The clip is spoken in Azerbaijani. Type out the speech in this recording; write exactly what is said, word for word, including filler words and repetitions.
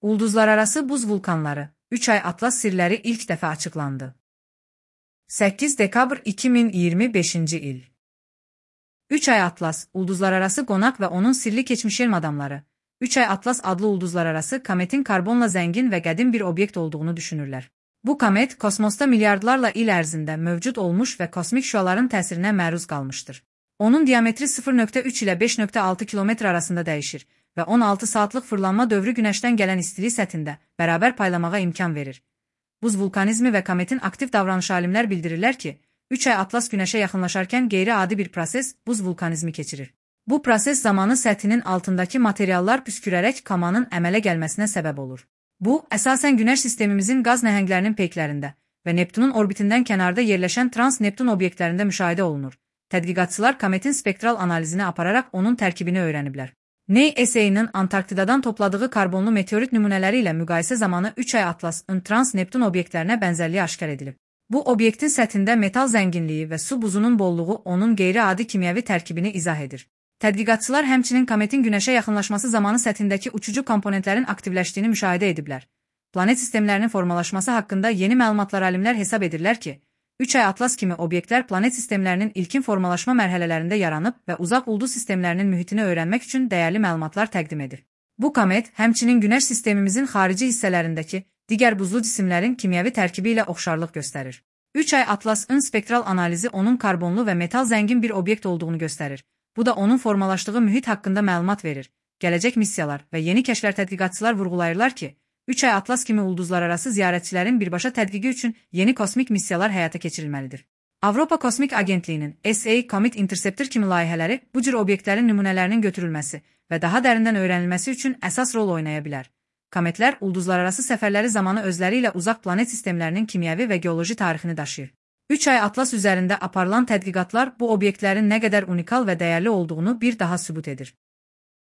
Ulduzlararası buz vulkanları, üç ay Atlas sirləri ilk dəfə açıqlandı. səkkiz dekabr iki min iyirmi beşinci il. üç ay Atlas, ulduzlararası qonaq və onun sirli keçmiş elm adamları, üç ay Atlas adlı ulduzlararası kometin karbonla zəngin və qədim bir obyekt olduğunu düşünürlər. Bu komet, kosmosda milyardlarla il ərzində mövcud olmuş və kosmik şüaların təsirinə məruz qalmışdır. Onun diametri sıfır nöqtə üç ilə beş nöqtə altı kilometr arasında dəyişir və on altı saatlıq fırlanma dövrü günəşdən gələn istilik səthində bərabər paylamağa imkan verir. Buz vulkanizmi və kometin aktiv davranışı alimlər bildirirlər ki, üç ay Atlas günəşə yaxınlaşarkən qeyri-adi bir proses buz vulkanizmi keçirir. Bu proses zamanı səthinin altındakı materiallar püskürərək kamanın əmələ gəlməsinə səbəb olur. Bu, əsasən günəş sistemimizin qaz nəhənglərinin peyklərində və Neptunun orbitindən kənarda yerləşən trans-Neptun obyektlərində müşahidə olunur. Tədqiqatçılar kometin spektral analizini apararaq onun tərkibini öyrəniblər. NASA-nın Antarktidadan topladığı karbonlu meteorit nümunələri ilə müqayisə zamanı üç ay Atlas'ın trans-Neptun obyektlərinə bənzərliyi aşkar edilib. Bu obyektin səthində metal zənginliyi və su buzunun bolluğu onun qeyri-adi kimyəvi tərkibini izah edir. Tədqiqatçılar həmçinin kometin günəşə yaxınlaşması zamanı səthindəki uçucu komponentlərin aktivləşdiyini müşahidə ediblər. Planet sistemlərinin formalaşması haqqında yeni məlumatlar alimlər hesab edirlər ki, üç ay Atlas kimi obyektlər planet sistemlərinin ilkin formalaşma mərhələlərində yaranıb və uzaq ulduz sistemlərinin mühitini öyrənmək üçün dəyərli məlumatlar təqdim edir. Bu komet, həmçinin günəş sistemimizin xarici hissələrindəki digər buzlu cisimlərin kimyəvi tərkibi ilə oxşarlıq göstərir. üç ay Atlas'ın spektral analizi onun karbonlu və metal zəngin bir obyekt olduğunu göstərir. Bu da onun formalaşdığı mühit haqqında məlumat verir. Gələcək missiyalar və yeni kəşflər tədqiqatçılar vurğulayırlar ki, üç ay Atlas kimi ulduzlararası ziyarətçilərin birbaşa tədqiqi üçün yeni kosmik missiyalar həyata keçirilməlidir. Avropa Kosmik Agentliyinin S A Comet Interceptor kimi layihələri bu cür obyektlərin nümunələrinin götürülməsi və daha dərindən öyrənilməsi üçün əsas rol oynaya bilər. Kometlər ulduzlararası səfərləri zamanı özləri ilə uzaq planet sistemlərinin kimyəvi və geoloji tarixini daşıyır. üç ay Atlas üzərində aparılan tədqiqatlar bu obyektlərin nə qədər unikal və dəyərli olduğunu bir daha sübut edir.